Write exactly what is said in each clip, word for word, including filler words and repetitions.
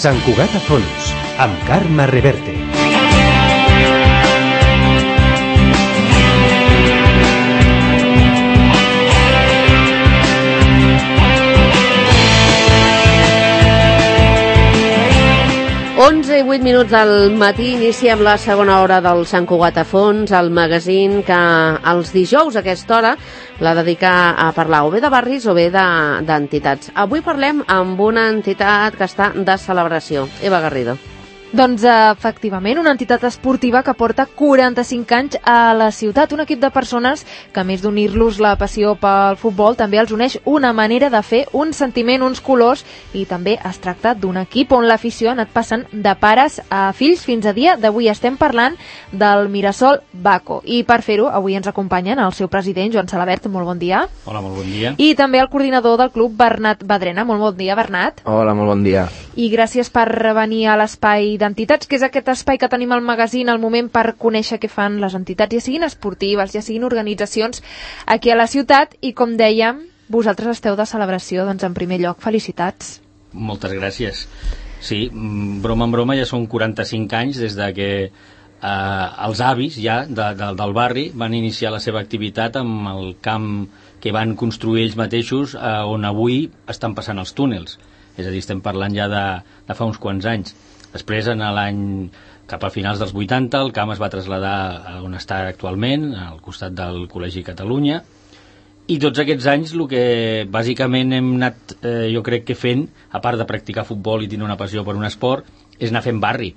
Sant Cugat a fons, amb Carme Reverte. onze i vuit minuts del matí, iniciem la segona hora del Sant Cugat a fons, el magazín que els dijous a aquesta hora la dedica a parlar o bé de barris o bé d'entitats. Avui parlem amb una entitat que està de celebració. Eva Garrido. Doncs efectivament, una entitat esportiva que porta quaranta-cinc anys a la ciutat, un equip de persones que a més d'unir-los la passió pel futbol també els uneix una manera de fer, un sentiment, uns colors, i també es tracta d'un equip on l'afició ha anat passant de pares a fills fins a dia d'avui. Estem parlant del Mirasol Baco i per fer-ho avui ens acompanyen el seu president Joan Salabert, molt bon dia. Hola, molt bon dia. I també el coordinador del club Bernat Badrena, molt bon dia Bernat. Hola, molt bon dia. I gràcies per venir a l'espai d'entitats, que és aquest espai que tenim al magazín al moment per conèixer què fan les entitats, ja siguin esportives, ja siguin organitzacions aquí a la ciutat, i com dèiem, vosaltres esteu de celebració, doncs en primer lloc, felicitats. Moltes gràcies. Sí, broma en broma, ja són quaranta-cinc anys des de que eh, els avis ja de, de, del barri van iniciar la seva activitat amb el camp que van construir ells mateixos, eh, on avui estan passant els túnels. És a dir, estem parlant ja de, de fa uns quants anys. Després, en l'any cap a finals dels vuitanta, el camp es va traslladar a on està actualment, al costat del Col·legi Catalunya, i tots aquests anys el que bàsicament hem anat, eh, jo crec que fent, a part de practicar futbol i tenir una passió per un esport, és anar fent barri,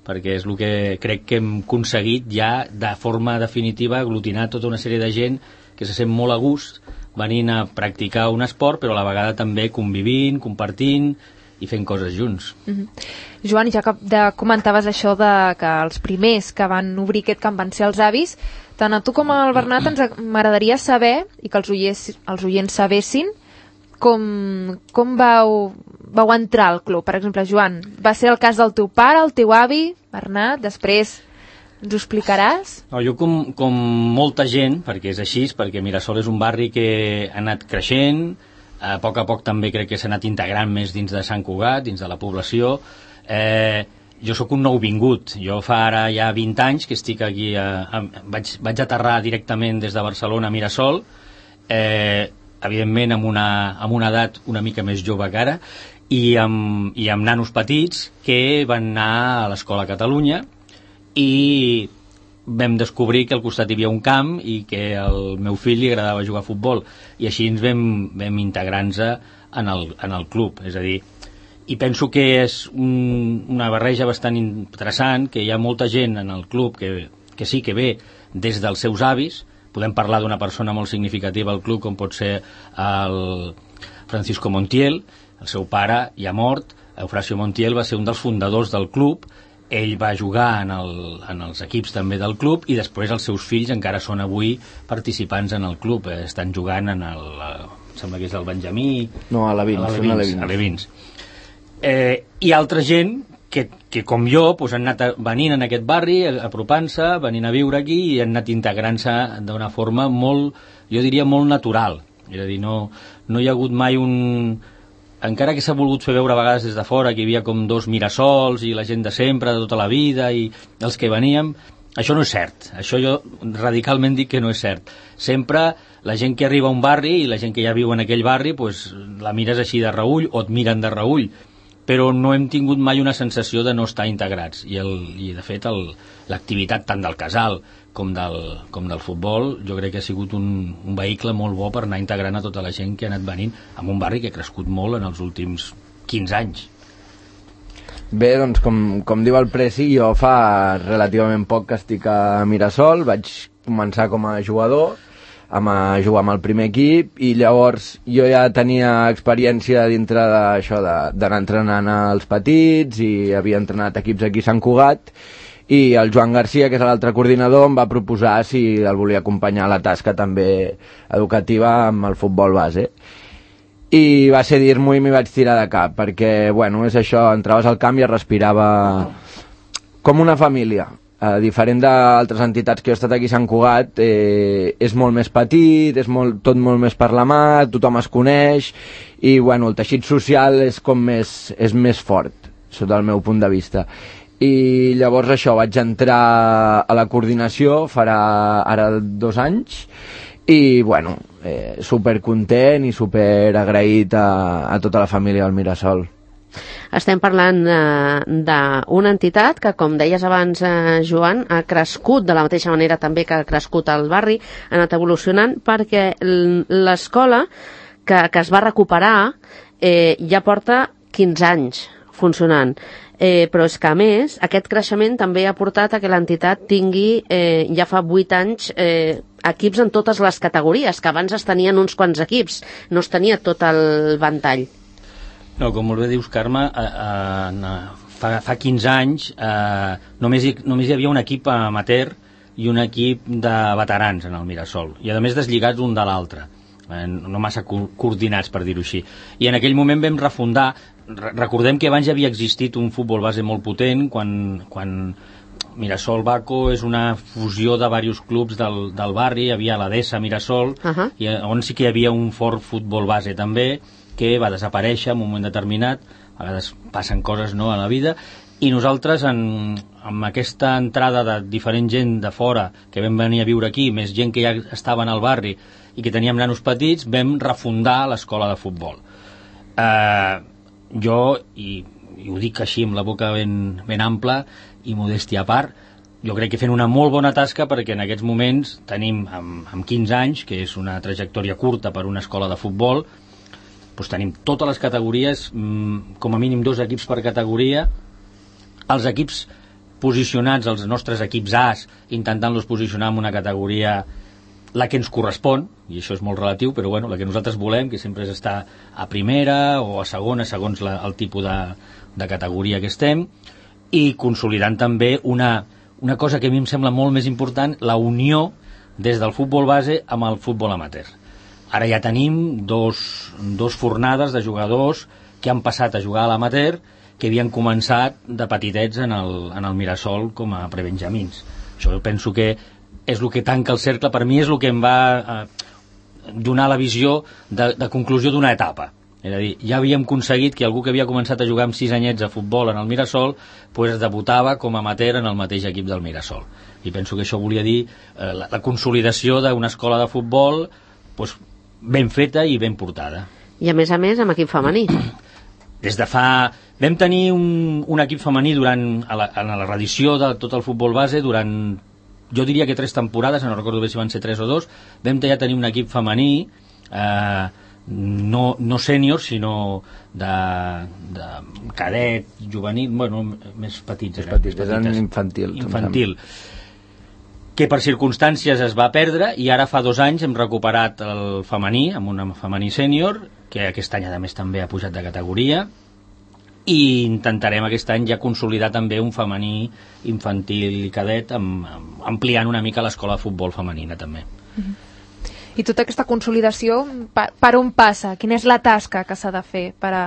perquè és el que crec que hem aconseguit ja de forma definitiva aglutinar tota una sèrie de gent que se sent molt a gust venint a practicar un esport, però a la vegada també convivint, compartint i fent coses junts. Mm-hmm. Joan, ja que de, comentaves això de que els primers que van obrir aquest camp van ser els avis, tant a tu com al Bernat ens m'agradaria saber, i que els oients, els oients sabessin, com, com vau, vau entrar al club. Per exemple, Joan, va ser el cas del teu pare, el teu avi, Bernat, després ens ho explicaràs? No, jo com, com molta gent, perquè és així, perquè Mirasol és un barri que ha anat creixent, a poc a poc també crec que s'ha anat integrant més dins de Sant Cugat, dins de la població. Eh, jo sóc un nouvingut, jo fa ara ja vint anys que estic aquí, a, a, vaig, vaig aterrar directament des de Barcelona a Mirasol, eh, evidentment amb una, amb una edat una mica més jove que ara, i amb, i amb nanos petits que van anar a l'Escola Catalunya, i vam descobrir que al costat hi havia un camp i que al meu fill li agradava jugar a futbol, i així ens vam, vam integrar-nos en, el, en el club. És a dir, i penso que és un, una barreja bastant interessant, que hi ha molta gent en el club que, que sí que ve des dels seus avis. Podem parlar d'una persona molt significativa al club, com pot ser el Francisco Montiel. El seu pare ja mort, Eufrasio Montiel, va ser un dels fundadors del club. Ell va jugar en, el, en els equips també del club, i després els seus fills encara són avui participants en el club, eh, estan jugant en el, em sembla que és el Benjamí, no, a l'Alevins, a l'Alevins. Eh, i altra gent que, que com jo pues, han anat venint en aquest barri, apropant-se, venint a viure aquí, i han anat integrant-se d'una forma molt, jo diria molt natural. És a dir, no, no hi ha hagut mai un... Encara que s'ha volgut fer veure a vegades des de fora que hi havia com dos Mirasols i la gent de sempre, de tota la vida, i els que veníem, això no és cert. Això jo radicalment dic que no és cert. Sempre la gent que arriba a un barri i la gent que ja viu en aquell barri, pues, la mires així de reüll o et miren de reüll, però no hem tingut mai una sensació de no estar integrats. I, el, i de fet, l'activitat tant del casal com del, com del futbol, jo crec que ha sigut un, un vehicle molt bo per anar integrant a tota la gent que ha anat venint en un barri que ha crescut molt en els últims quinze anys. Bé, doncs com, com diu el Presi, jo fa relativament poc que estic a Mirasol, vaig començar com a jugador, amb a jugar amb el primer equip, i llavors jo ja tenia experiència dintre d'això d'anar entrenant als petits, i havia entrenat equips aquí a Sant Cugat, i el Joan Garcia, que és l'altre coordinador, em va proposar si el volia acompanyar a la tasca també educativa amb el futbol base. I va ser dir-m'ho i m'hi vaig tirar de cap, perquè, bueno, és això, entraves al camp i es respirava com una família. Eh, diferent d'altres entitats que he estat aquí a Sant Cugat, eh, és molt més petit, és molt, tot molt més per la mà, tothom es coneix, i, bueno, el teixit social és com més, és més fort. sota el meu punt de vista. I llavors això, vaig entrar a la coordinació farà ara dos anys i bueno, eh, supercontent i superagraït a, a tota la família del Mirasol. Estem parlant eh, d'una entitat que, com deies abans, eh, Joan, ha crescut de la mateixa manera també que ha crescut el barri, ha anat evolucionant, perquè l'escola que, que es va recuperar eh, ja porta quinze anys funcionant. Eh, però és que, a més, aquest creixement també ha portat a que l'entitat tingui, eh, ja fa vuit anys, eh, equips en totes les categories, que abans es tenien uns quants equips, no es tenia tot el ventall. No, com molt bé dius, Carme, eh, eh, fa, fa quinze anys eh, només, hi, només hi havia un equip amateur i un equip de veterans en el Mirasol, i a més deslligats un de l'altre, eh, no massa co coordinats, per dir-ho així. I en aquell moment vam refundar, re recordem que abans ja havia existit un futbol base molt potent, quan, quan Mirasol Baco és una fusió de diversos clubs del, del barri, hi havia la D E S A Mirasol, uh -huh. i on sí que hi havia un fort futbol base també, que va desaparèixer en un moment determinat, a vegades passen coses, no, a la vida, i nosaltres en, amb aquesta entrada de diferent gent de fora que vam venir a viure aquí, més gent que ja estava en el barri i que teníem nanos petits, vam refundar l'escola de futbol. Eh, jo, i, i ho dic així amb la boca ben, ben ampla i modèstia a part, jo crec que fent una molt bona tasca, perquè en aquests moments tenim, amb, amb quinze anys, que és una trajectòria curta per una escola de futbol, doncs tenim totes les categories, com a mínim dos equips per categoria, els equips posicionats, els nostres equips A's, intentant-los posicionar en una categoria la que ens correspon, i això és molt relatiu, però bueno, la que nosaltres volem, que sempre és estar a primera o a segona, segons la, el tipus de, de categoria que estem, i consolidant també una, una cosa que a mi em sembla molt més important, la unió des del futbol base amb el futbol amateur. Ara ja tenim dos, dos fornades de jugadors que han passat a jugar a l'amateur, que havien començat de petitets en el, en el Mirasol com a prebenjamins. Això jo penso que és el que tanca el cercle, per mi és el que em va eh, donar la visió de, de conclusió d'una etapa. És a dir, ja havíem aconseguit que algú que havia començat a jugar amb sis anyets a futbol en el Mirasol pues, debutava com a amateur en el mateix equip del Mirasol. I penso que això volia dir eh, la, la consolidació d'una escola de futbol pues, ben feta i ben portada. I a més a més amb equip femení. Des de fa... Vam tenir un, un equip femení durant a la, a la reedició de tot el futbol base durant, jo diria que tres temporades, no recordo bé si van ser tres o dos. Vam ja tenir un equip femení, eh, no, no sènior, sinó de, de cadet, juvenil, bueno, més petits. Més petits, eren infantil. Infantil. Que per circumstàncies es va perdre, i ara fa dos anys hem recuperat el femení, amb un femení sènior, que aquest any a més també ha pujat de categoria, i intentarem aquest any ja consolidar també un femení infantil i cadet, amb, amb, ampliant una mica l'escola de futbol femenina també. I tota aquesta consolidació, per, per on passa? Quina és la tasca que s'ha de fer per a,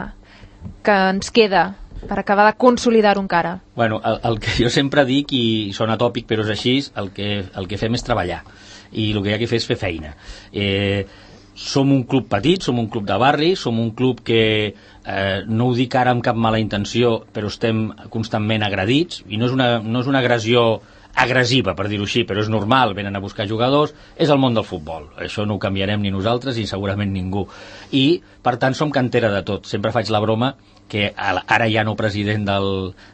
que ens queda per acabar de consolidar-ho encara? Bueno, el, el que jo sempre dic, i sona tòpic però és així, el que, el que fem és treballar, i el que hi ha que fer és fer feina. Eh, som un club petit, som un club de barri, som un club que eh, no ho dic ara amb cap mala intenció, però estem constantment agredits, i no és una, no és una agressió agressiva, per dir-ho així, però és normal, venen a buscar jugadors, és el món del futbol, això no ho canviarem ni nosaltres i segurament ningú, i per tant som cantera de tot. Sempre faig la broma que ara ja no president del,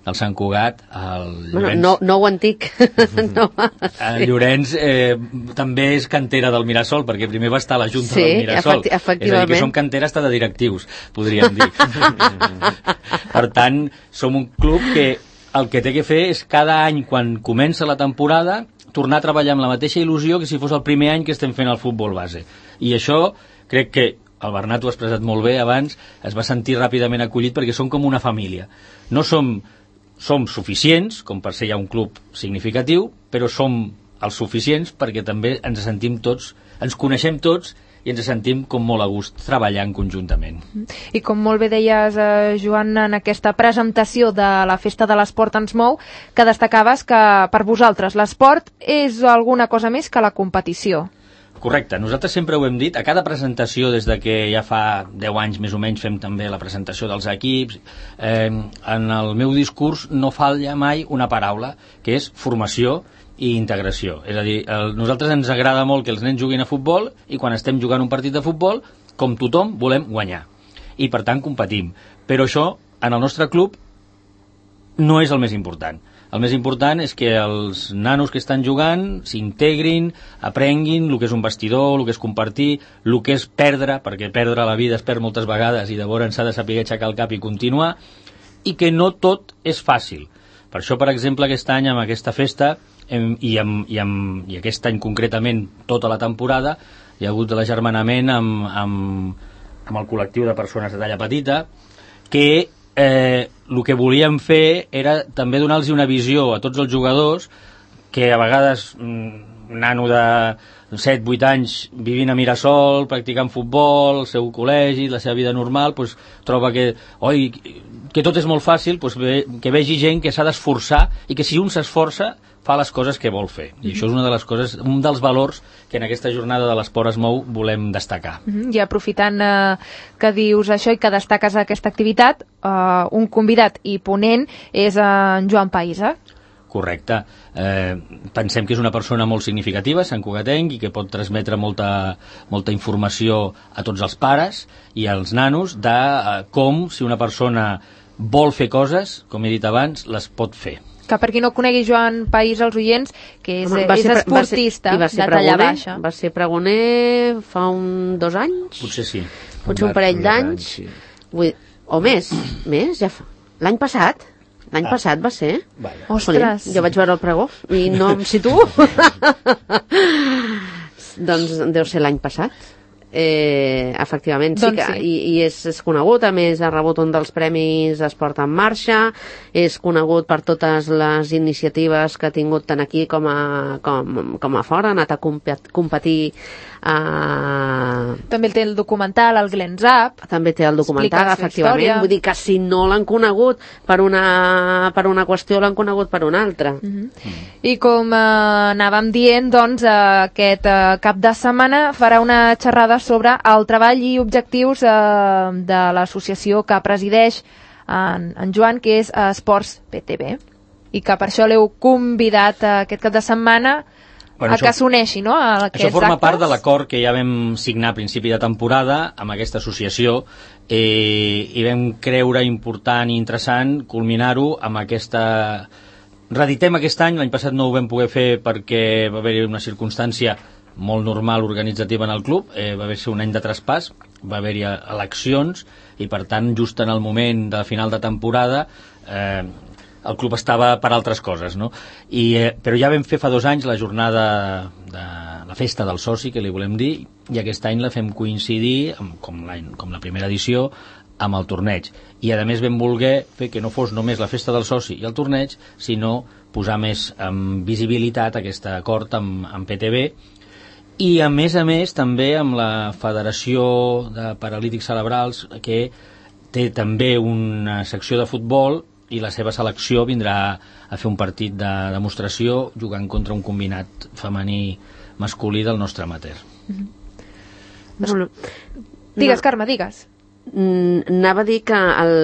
del Sant Cugat, el Llorenç, bueno, no, no ho antic no, el Llorenç eh, també és cantera del Mirasol, perquè primer va estar a la Junta sí, del Mirasol, efecti efectivament. És a dir, que som cantera hasta de directius, podríem dir. Per tant, som un club que el que té que fer és cada any, quan comença la temporada, tornar a treballar amb la mateixa il·lusió que si fos el primer any que estem fent el futbol base. I això crec que el Bernat ho ha expressat molt bé abans, es va sentir ràpidament acollit perquè som com una família. No som, som suficients, com per ser ja un club significatiu, però som els suficients perquè també ens sentim tots, ens coneixem tots i ens sentim com molt a gust treballant conjuntament. I com molt bé deies, eh, Joan, en aquesta presentació de la Festa de l'Esport ens mou, que destacaves que per vosaltres l'esport és alguna cosa més que la competició. Correcte, nosaltres sempre ho hem dit, a cada presentació, des de que ja fa deu anys més o menys fem també la presentació dels equips, eh, en el meu discurs no falla mai una paraula, que és formació i integració. És a dir, el, nosaltres ens agrada molt que els nens juguin a futbol i quan estem jugant un partit de futbol, com tothom, volem guanyar. I per tant competim. Però això, en el nostre club, no és el més important. El més important és que els nanos que estan jugant s'integrin, aprenguin el que és un vestidor, el que és compartir, el que és perdre, perquè perdre la vida es perd moltes vegades i llavors s'ha de saber aixecar el cap i continuar, i que no tot és fàcil. Per això, per exemple, aquest any amb aquesta festa hem, i, amb, i, amb, i aquest any concretament tota la temporada hi ha hagut l'agermanament amb, amb, amb el col·lectiu de persones de talla petita que eh, el que volíem fer era també donar-los una visió a tots els jugadors que a vegades un nano de set vuit anys vivint a Mirasol, practicant futbol, el seu col·legi, la seva vida normal, pues, troba que, oi, que tot és molt fàcil, pues, ve, que vegi gent que s'ha d'esforçar i que si un s'esforça fa les coses que vol fer. I això és una de les coses, un dels valors que en aquesta jornada de l'Esport es mou volem destacar. Mm-hmm. I aprofitant eh, que dius això i que destaques aquesta activitat, eh, un convidat i ponent és en Joan Païsa. Correcte. Eh, pensem que és una persona molt significativa, santcugatenc, i que pot transmetre molta, molta informació a tots els pares i als nanos de eh, com, si una persona vol fer coses, com he dit abans, les pot fer. Que per qui no conegui Joan País als oients, que és, Home, és ser, esportista va ser, de talla pregoner, baixa. Va ser pregoner fa un dos anys? Potser sí. Potser un parell d'anys. Sí. O més, més, ja fa. L'any passat? L'any ah. passat va ser? Vaya. Ostres. Jo vaig veure el pregó i no em situo. Doncs deu ser l'any passat. Eh, efectivament, sí, doncs que, sí. I, i és, és conegut, a més ha rebut un dels premis Esport en Marxa, és conegut per totes les iniciatives que ha tingut tant aquí com a, com, com a fora, ha anat a compet, competir a... També té el documental, el Glens Up. També té el documental, efectivament. Vull dir que si no l'han conegut per una, per una qüestió, l'han conegut per una altra. Mm-hmm. Mm. I com eh, anàvem dient, doncs, eh, aquest eh, cap de setmana farà una xerrada sobre el treball i objectius eh, de l'associació que presideix en, en Joan, que és eh, Esports P T B. I que per això l'heu convidat eh, aquest cap de setmana bueno, a això, que s'uneixi, no? A això forma actes. Part de l'acord que ja vam signar a principi de temporada amb aquesta associació eh, i vam creure important i interessant culminar-ho amb aquesta... Reditem aquest any, l'any passat no ho vam poder fer perquè va haver-hi una circumstància molt normal organitzativa en el club, eh, va haver-hi un any de traspàs, va haver-hi eleccions i per tant just en el moment de final de temporada eh, el club estava per altres coses, no? I, eh, però ja vam fer fa dos anys la jornada de la festa del soci, que li volem dir, i aquest any la fem coincidir, amb, com, com la primera edició, amb el torneig. I a més vam voler fer que no fos només la festa del soci i el torneig, sinó posar més en visibilitat aquest acord amb, amb P T B i a més a més també amb la Federació de Paralítics Cerebrals, que té també una secció de futbol i la seva selecció vindrà a fer un partit de demostració jugant contra un combinat femení masculí del nostre amateur. Mm-hmm. No, no. Digues, Carme, digues. Anava a dir que el,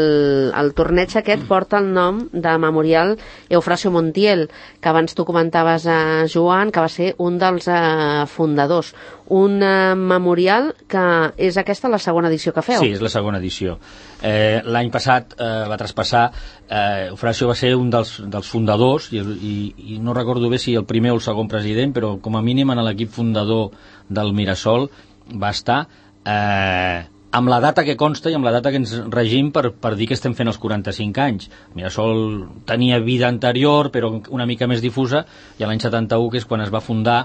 el torneig aquest porta el nom de Memorial Eufrasio Montiel, que abans tu comentaves a Joan, que va ser un dels uh, fundadors. Un uh, memorial que és aquesta la segona edició que feu. Sí, és la segona edició. Eh, l'any passat eh, va traspassar, eh, Eufrasio va ser un dels, dels fundadors, i, i, i no recordo bé si el primer o el segon president, però com a mínim en l'equip fundador del Mirasol va estar... Eh, amb la data que consta i amb la data que ens regim per, per dir que estem fent els quaranta-cinc anys. Mirasol tenia vida anterior, però una mica més difusa, i l'any setanta-u, que és quan es va fundar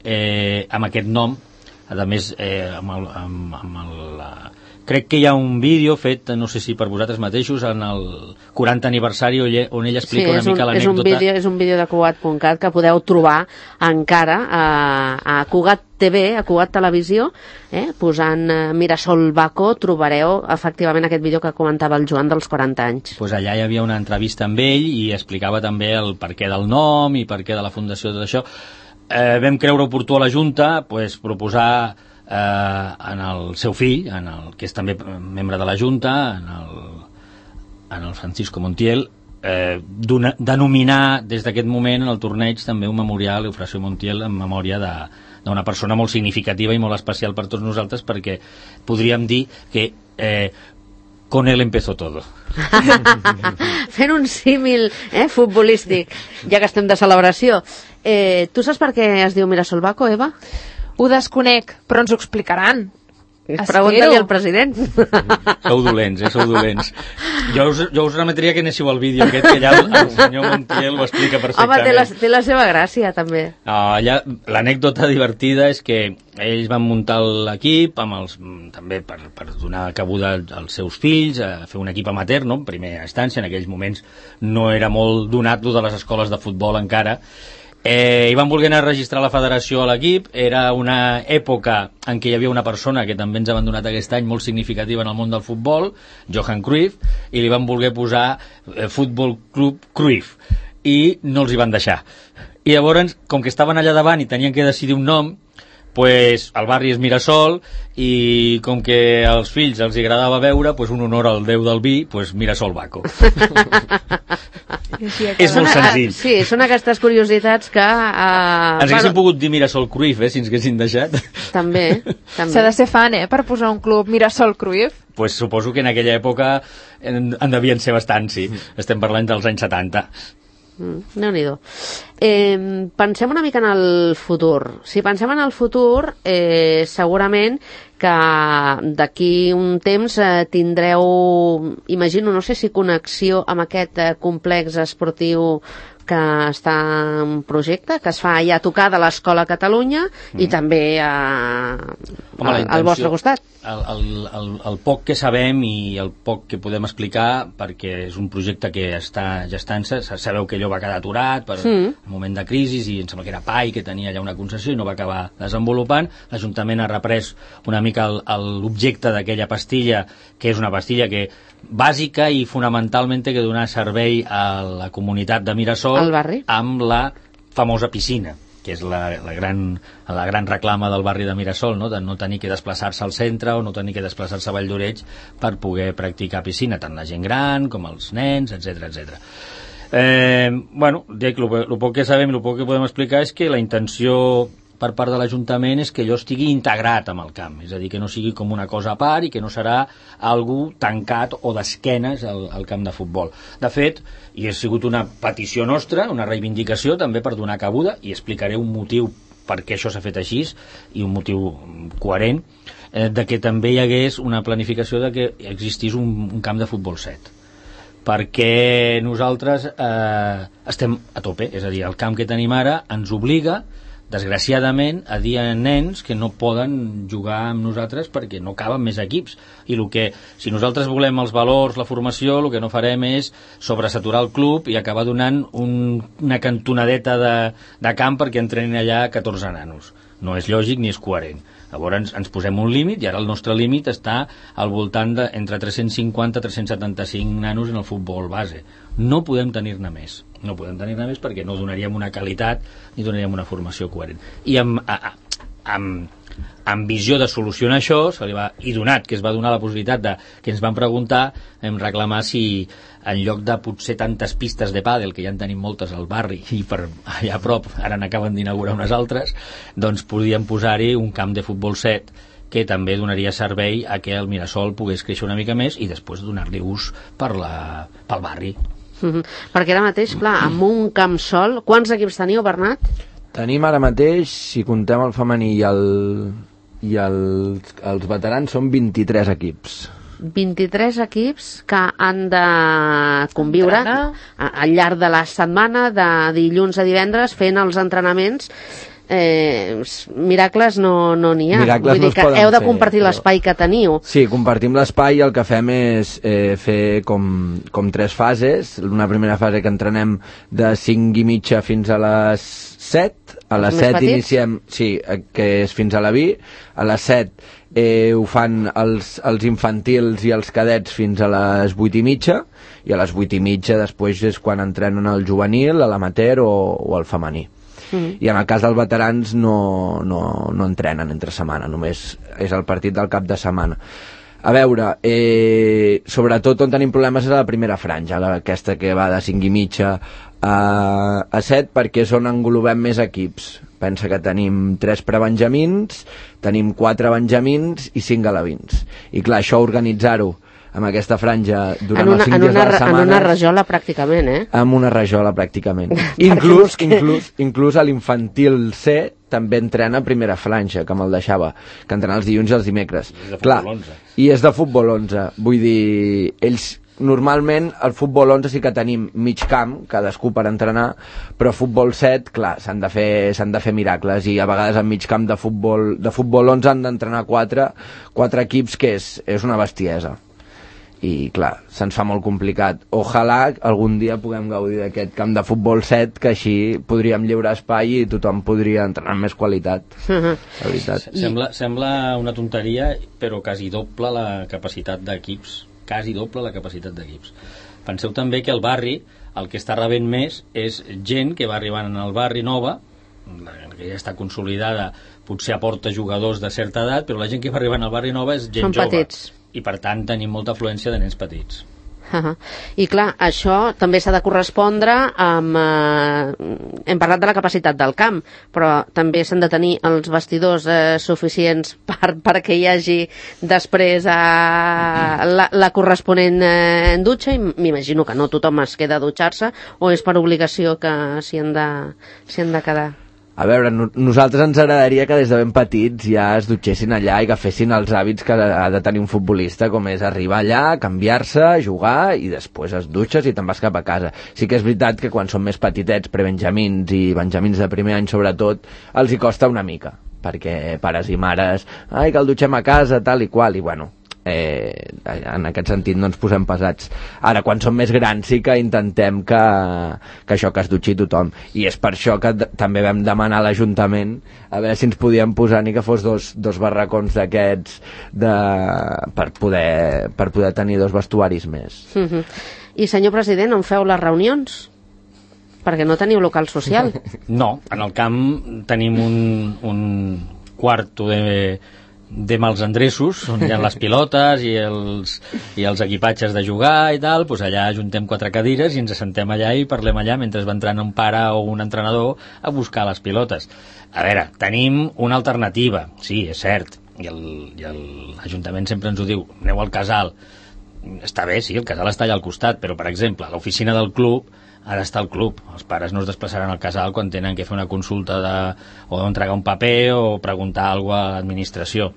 eh, amb aquest nom, a més, eh, amb el... Amb, amb el la... Crec que hi ha un vídeo fet, no sé si per vosaltres mateixos, en el quaranta aniversari on ell, on ell explica sí, una mica l'anècdota. Sí, és un vídeo de Cugat punt cat que podeu trobar encara a, a Cugat T V, a Cugat Televisió, eh, posant eh, Mirasol Baco, trobareu efectivament aquest vídeo que comentava el Joan dels quaranta anys. Pues allà hi havia una entrevista amb ell i explicava també el perquè del nom i per què de la fundació de tot això. eh, vam creure oportú a la Junta pues, proposar eh, en el seu fill, en el, que és també membre de la Junta, en el, en el Francisco Montiel, eh, denominar des d'aquest moment en el torneig també un memorial, Eufrasio Montiel, en memòria de d'una persona molt significativa i molt especial per tots nosaltres, perquè podríem dir que eh, con él empezó todo. Fent un símil eh, futbolístic, ja que estem de celebració. Eh, tu saps per què es diu Mirasol Baco, Eva? Ho desconec, però ens ho explicaran. Pregunta-li al president. Sou dolents, eh? Sou dolents. Jo us, jo us remetria que anéssiu al vídeo aquest, que allà el, el senyor Montiel ho explica perfectament. Home, té la, té la seva gràcia, també. Uh, allà, l'anècdota divertida és que ells van muntar l'equip amb els, també per, per donar cabuda als seus fills, a fer un equip amateur, no? En primera instància, en aquells moments no era molt donat de les escoles de futbol encara. Eh, i van voler anar a registrar la federació a l'equip. Era una època en què hi havia una persona que també ens ha abandonat aquest any molt significativa en el món del futbol, Johan Cruyff, i li van voler posar eh, Futbol Club Cruyff, i no els hi van deixar. I llavors, com que estaven allà davant i tenien que decidir un nom, pues, el barri és Mirasol, i com que als fills els agradava veure, pues, un honor al déu del vi, pues, Mirasol Baco. És molt senzill. Sí, són aquestes curiositats que... Uh, ens haguéssim bueno, pogut dir Mirasol Cruyff, eh, si ens haguessin deixat. També, també. S'ha de ser fan, eh, per posar un club Mirasol Cruyff. Pues suposo que en aquella època en, en devien ser bastant, sí. Estem parlant dels anys setanta. Mm, Déu-n'hi-do. Eh, pensem una mica en el futur. Si pensem en el futur, eh, segurament que d'aquí un temps eh, tindreu, imagino, no sé si connexió amb aquest eh, complex esportiu que està en projecte, que es fa ja a tocar de l'Escola Catalunya mm. i també a, Home, a, al vostre costat. El, el, el, el poc que sabem i el poc que podem explicar, perquè és un projecte que està gestant-se, sabeu que allò va quedar aturat per mm. un moment de crisi, i em sembla que era P A I, que tenia allà una concessió i no va acabar desenvolupant. L'Ajuntament ha reprès una mica l'objecte d'aquella pastilla, que és una pastilla que bàsica i fonamentalment té que donar servei a la comunitat de Mirasol amb la famosa piscina, que és la, la, gran, la gran reclama del barri de Mirasol, no? De no tenir que desplaçar-se al centre o no tenir que desplaçar-se a Vall d'Oreig per poder practicar piscina, tant la gent gran com els nens, etcètera, etcètera. Eh, bueno, dic, el poc que sabem i el poc que podem explicar és que la intenció per part de l'Ajuntament és que allò estigui integrat amb el camp, és a dir, que no sigui com una cosa a part i que no serà algú tancat o d'esquenes al, al camp de futbol. De fet, i ha sigut una petició nostra, una reivindicació també per donar cabuda, i explicaré un motiu per què això s'ha fet així i un motiu coherent, eh, de que també hi hagués una planificació de que existís un, un camp de futbol set, perquè nosaltres eh, estem a tope, és a dir, el camp que tenim ara ens obliga, desgraciadament, a dir a nens que no poden jugar amb nosaltres perquè no caben més equips, i el que, si nosaltres volem els valors, la formació, el que no farem és sobresaturar el club i acabar donant un, una cantonadeta de, de camp perquè entrenin allà catorze nanos. No és lògic ni és coherent. Llavors ens, ens posem un límit, i ara el nostre límit està al voltant de entre tres-cents cinquanta i tres-cents setanta-cinc nanos en el futbol base. No podem tenir-ne més. No podem tenir-ne més perquè no donaríem una qualitat ni donaríem una formació coherent. I amb, a, amb, amb visió de solucionar això, se li va, i donat que es va donar la possibilitat de, que ens van preguntar, hem reclamar si en lloc de potser tantes pistes de pàdel, que ja en tenim moltes al barri i per allà a prop, ara n'acaben d'inaugurar unes altres, doncs podíem posar-hi un camp de futbol set que també donaria servei a que el Mirasol pogués créixer una mica més i després donar-li ús per la, pel barri. Mm-hmm. Perquè ara mateix, clar, amb un camp sol, quants equips teniu, Bernat? Tenim ara mateix, si contem el femení i, el, i el, els veterans, són vint-i-tres equips. vint-i-tres equips que han de conviure al llarg de la setmana, de dilluns a divendres, fent els entrenaments. Eh, miracles no n'hi no ha. Miracles Vull dir no que heu de compartir però... l'espai que teniu. Sí, compartim l'espai, i el que fem és eh, fer com, com tres fases. Una primera fase que entrenem de cinc i mitja fins a les set. A les set iniciem, sí, que és fins a la vi. A les set eh, ho fan els, els infantils i els cadets fins a les vuit i mitja, i a les vuit i mitja després és quan entrenen el juvenil, l'amateur o, o el femení. Mm. I en el cas dels veterans no, no, no entrenen entre setmana, només és el partit del cap de setmana. A veure, eh, sobretot on tenim problemes és a la primera franja, la, aquesta que va de cinc i mitja a, a set, perquè és on englobem més equips. Pensa que tenim tres prebenjamins, tenim quatre benjamins i cinc alevins. I clar, això organitzar-ho amb aquesta franja durant una, els cinc dies de la setmana... En una rajola pràcticament, eh? Amb una rajola pràcticament. inclús, inclús, inclús a l'infantil C també entrena primera franja, que me'l deixava, que entrena els dilluns i els dimecres. I és de clar, futbol onze. I és de futbol onze. Vull dir, ells... Normalment al futbol onze sí que tenim mig camp, cadascú per entrenar, però futbol set, clar, s'han de fer, s'han de fer miracles, i a vegades en mig camp de futbol, de futbol onze han d'entrenar quatre, quatre equips, que és, és una bestiesa. I clar, se'ns fa molt complicat. Ojalà algun dia puguem gaudir d'aquest camp de futbol set, que així podríem lliurar espai i tothom podria entrenar amb més qualitat. La veritat. Sembla, sembla una tonteria, però quasi doble la capacitat d'equips quasi doble la capacitat d'equips. Penseu també que el barri, el que està rebent més és gent que va arribant al barri nova, que ja està consolidada, potser aporta jugadors de certa edat, però la gent que va arribant al barri nova és gent Són jove. petits. I per tant tenim molta afluència de nens petits. Uh -huh. I clar, això també s'ha de correspondre amb... Eh, hem parlat de la capacitat del camp, però també s'han de tenir els vestidors eh, suficients per, perquè hi hagi després eh, la, la corresponent eh, dutxa, i m'imagino que no tothom es queda a dutxar-se, o és per obligació que s'hi han de, s'hi han de quedar. A veure, no, nosaltres ens agradaria que des de ben petits ja es dutxessin allà i que fessin els hàbits que ha de tenir un futbolista, com és arribar allà, canviar-se, jugar, i després es dutxes i te'n vas cap a casa. Sí que és veritat que quan són més petitets, prebenjamins i benjamins de primer any sobretot, els hi costa una mica, perquè pares i mares, ai, que el dutxem a casa, tal i qual, i bueno... Eh, en aquest sentit no ens posem pesats. Ara, quan som més grans, sí que intentem que, que això, que es dutxi tothom, i és per això que també vam demanar a l'Ajuntament a veure si ens podíem posar ni que fos dos, dos barracons d'aquests de, per, poder, per poder tenir dos vestuaris més. Uh-huh. I senyor president, on feu les reunions? Perquè no teniu local social. No, en el camp tenim un, un quarto de de mals endreços, on hi ha les pilotes i els, i els equipatges de jugar i tal, doncs allà ajuntem quatre cadires i ens assentem allà i parlem allà mentre va entrant un pare o un entrenador a buscar les pilotes. A veure, tenim una alternativa, sí, és cert, i l'Ajuntament sempre ens ho diu, aneu al casal. Està bé, sí, el casal està allà al costat, però per exemple, l'oficina del club ha d'estar al club. Els pares no es desplaçaran al casal quan tenen que fer una consulta de, o entregar un paper o preguntar alguna cosa a l'administració.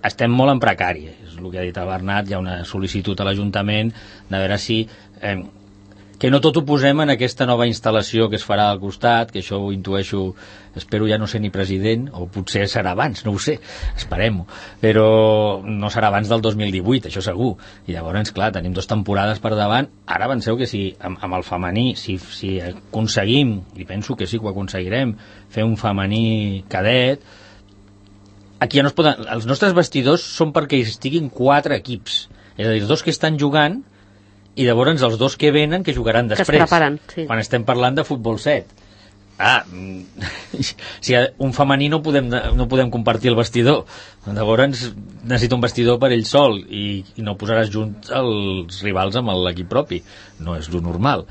Estem molt en precari, és el que ha dit el Bernat. Hi ha una sol·licitud a l'Ajuntament de veure si eh, que no tot ho posem en aquesta nova instal·lació que es farà al costat, que això ho intueixo, espero ja no ser ni president, o potser serà abans, no ho sé, esperem-ho, però no serà abans del dos mil divuit, això segur. I llavors, clar, tenim dues temporades per davant. Ara penseu que si amb, amb el femení, si, si aconseguim, i penso que sí que ho aconseguirem, fer un femení cadet, aquí ja no es poden... Els nostres vestidors són perquè hi estiguin quatre equips, és a dir, els dos que estan jugant i llavors els dos que venen que jugaran després, que es preparen, sí. Quan estem parlant de futbol set. Ah, si un femení no podem, no podem compartir el vestidor, llavors necessita un vestidor per ell sol i, i no posaràs junts els rivals amb l'equip propi, no és lo normal.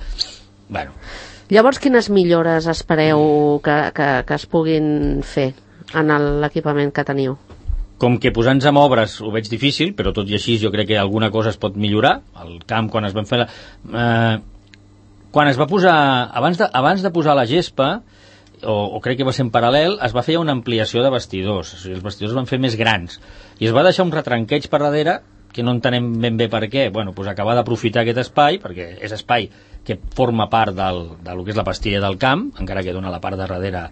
Bueno. Llavors, quines millores espereu que, que, que es puguin fer en l'equipament que teniu? Com que posar-nos amb obres ho veig difícil, però tot i així jo crec que alguna cosa es pot millorar. El camp, quan es van fer la... Eh, quan es va posar... Abans de, abans de posar la gespa, o, o crec que va ser en paral·lel, es va fer una ampliació de vestidors. O sigui, els vestidors es van fer més grans. I es va deixar un retranqueig per darrere, que no entenem ben bé per què. Bueno, doncs acabar d'aprofitar aquest espai, perquè és espai que forma part del, del que és la pastilla del camp, encara que dona la part de darrere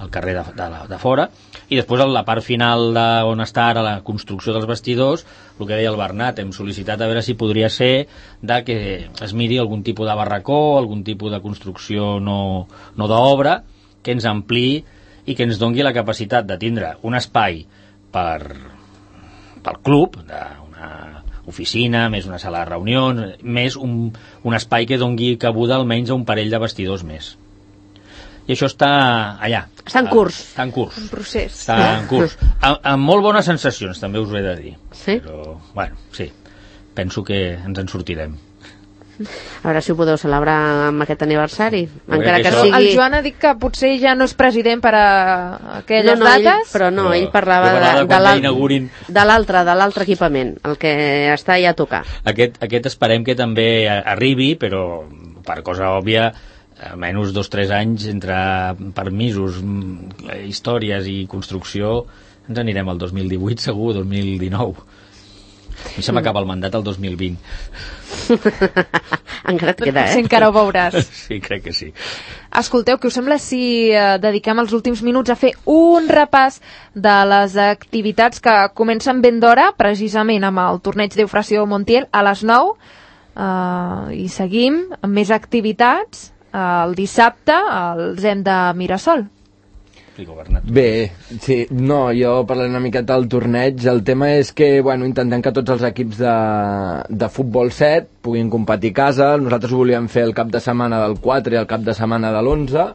al carrer de, de, de fora, i després a la part final de, on està ara la construcció dels vestidors, el que deia el Bernat, hem sol·licitat a veure si podria ser de que es miri algun tipus de barracó, algun tipus de construcció no, no d'obra, que ens ampliï i que ens dongui la capacitat de tindre un espai per, pel club, d'una oficina, més una sala de reunions, més un, un espai que dongui cabuda almenys a un parell de vestidors més. i això està allà. Està en curs. Està en curs. Un procés. Està en curs. Amb, amb molt bones sensacions, també us ho he de dir. Sí? Però, bueno, sí. Penso que ens en sortirem. A veure si ho podeu celebrar amb aquest aniversari. Encara que que això- sigui... El Joan ha dit que potser ja no és president per a aquelles no, no, ell, dates. però no, Però ell parlava jo parlava de, de quan l'al- inaugurin. de l'altre, de l'altre equipament, el que està ja a tocar. Aquest, aquest esperem que també arribi, però per cosa òbvia, almenys dos o tres anys entre permisos, mm, històries i construcció, ens anirem al dos mil divuit segur, dos mil dinou. A mi se m'acaba el mandat el dos mil vint. Encara et queda, Potser eh? encara ho veuràs. Sí, crec que sí. Escolteu, què us sembla si eh, dediquem els últims minuts a fer un repàs de les activitats que comencen ben d'hora, precisament amb el torneig d'Eufrasio Montiel a les nou, eh, i seguim amb més activitats. El dissabte els hem de Mirasol. Explico, Bernat. Bé, sí, no, jo parlaré una miqueta del torneig. El tema és que, bueno, intentem que tots els equips de, de futbol set puguin competir a casa. Nosaltres ho volíem fer el cap de setmana del quatre i el cap de setmana de l'onze,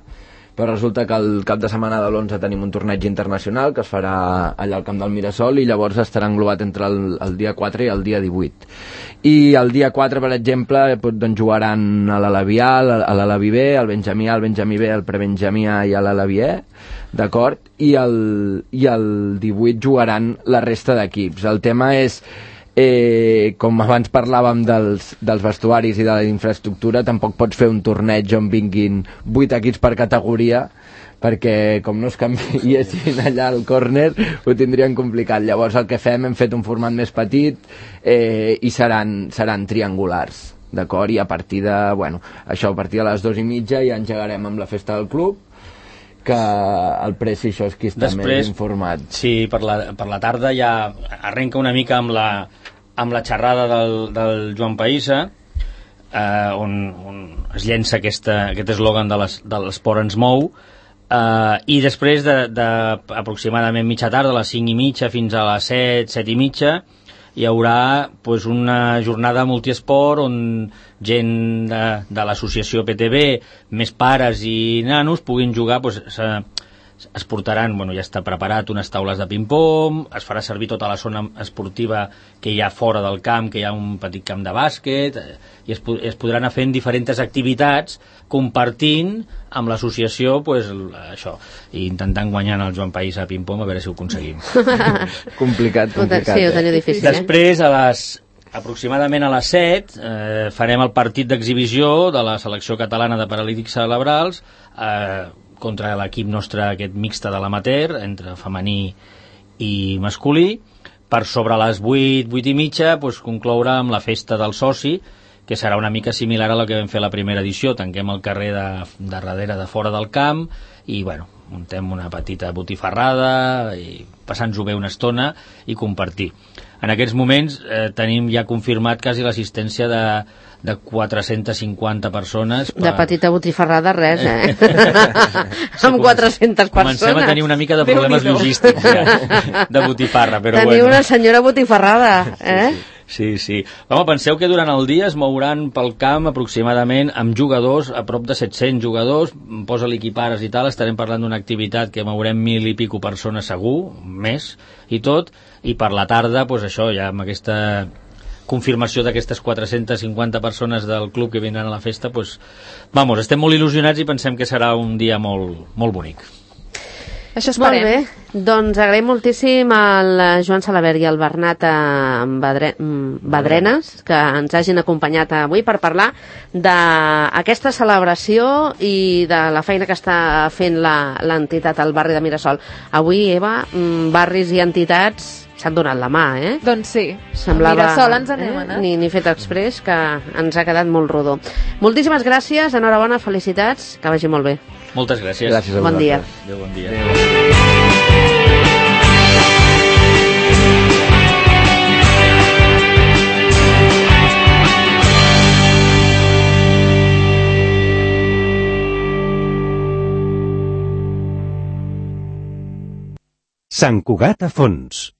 però resulta que el cap de setmana de l'onze tenim un torneig internacional que es farà allà al camp del Mirasol i llavors estarà englobat entre el, el dia quatre i el dia divuit. I el dia quatre, per exemple, doncs jugaran a l'Alavi A, a l'Alavi B, al Benjamí A, al Benjamí B, al Prebenjamí A i a l'Alavi E, d'acord? I el, i el divuit jugaran la resta d'equips. El tema és, eh, com abans parlàvem dels, dels vestuaris i de la infraestructura, tampoc pots fer un torneig on vinguin vuit equips per categoria, perquè com no es canviessin allà al córner ho tindrien complicat. Llavors el que fem, hem fet un format més petit eh, i seran, seran triangulars, d'acord? I a partir de, bueno, això a partir de les dues i mitja ja engegarem amb la festa del club, que el Preci això és qui està Després, més informat. Sí, per la, per la tarda ja arrenca una mica amb la, amb la xerrada del, del Joan Païssa, eh, on, on es llença aquesta, aquest eslògan de les- de l'esport ens mou, Uh, i després de, de aproximadament mitja tarda, a les cinc i mitja fins a les set, set i mitja, hi haurà pues, una jornada multiesport on gent de, de l'associació P T B, més pares i nanos, puguin jugar, pues, se, es portaran, bueno, ja està preparat, unes taules de ping-pong, es farà servir tota la zona esportiva que hi ha fora del camp, que hi ha un petit camp de bàsquet, eh, i es, es podran anar fent diferents activitats compartint amb l'associació, pues, això, i intentant guanyar el Joan País a ping-pong, a veure si ho aconseguim. Complicat, complicat. Sí, ho eh? teniu difícil, eh? Després, a les, aproximadament a les set, eh, farem el partit d'exhibició de la selecció catalana de paralítics cerebrals, eh, contra l'equip nostre aquest mixte de l'amateur, entre femení i masculí. Per sobre les vuit, vuit i mitja, doncs, concloure amb la festa del soci, que serà una mica similar a la que vam fer la primera edició. Tanquem el carrer de, de darrere, de fora del camp, i bueno, muntem una petita botifarrada, i passant-nos-ho bé una estona i compartir. En aquests moments eh, tenim ja confirmat quasi l'assistència de, de quatre-centes cinquanta persones. Per... De petita botifarrada, res, eh? Amb quatre-centes persones. Comencem a tenir una mica de problemes logístics ja, de botifarra, però Teniu bueno. una senyora botifarrada, eh? Sí, sí. Home, penseu que durant el dia es mouran pel camp aproximadament amb jugadors, a prop de set-cents jugadors, posa l'equipares i tal, estarem parlant d'una activitat que mourem mil i pico persones segur, més, i tot, i per la tarda, doncs això, ja amb aquesta confirmació d'aquestes quatre-centes cinquanta persones del club que vindran a la festa, doncs, vamos, estem molt il·lusionats i pensem que serà un dia molt, molt bonic. Això Molt esperem. bé, doncs agraïm moltíssim al Joan Salabert i al Bernat Badre... Badrenes que ens hagin acompanyat avui per parlar d'aquesta celebració i de la feina que està fent l'entitat al barri de Mirasol. Avui, Eva, barris i entitats s'han donat la mà, eh? Doncs sí, Semblava, a Mirasol ens anem, eh? Ni, ni fet express, que ens ha quedat molt rodó. Moltíssimes gràcies, enhorabona, felicitats, que vagi molt bé. Moltes gràcies. Gràcies a Bon dia. vosaltres. Adéu, bon dia. Sant Cugat a fons.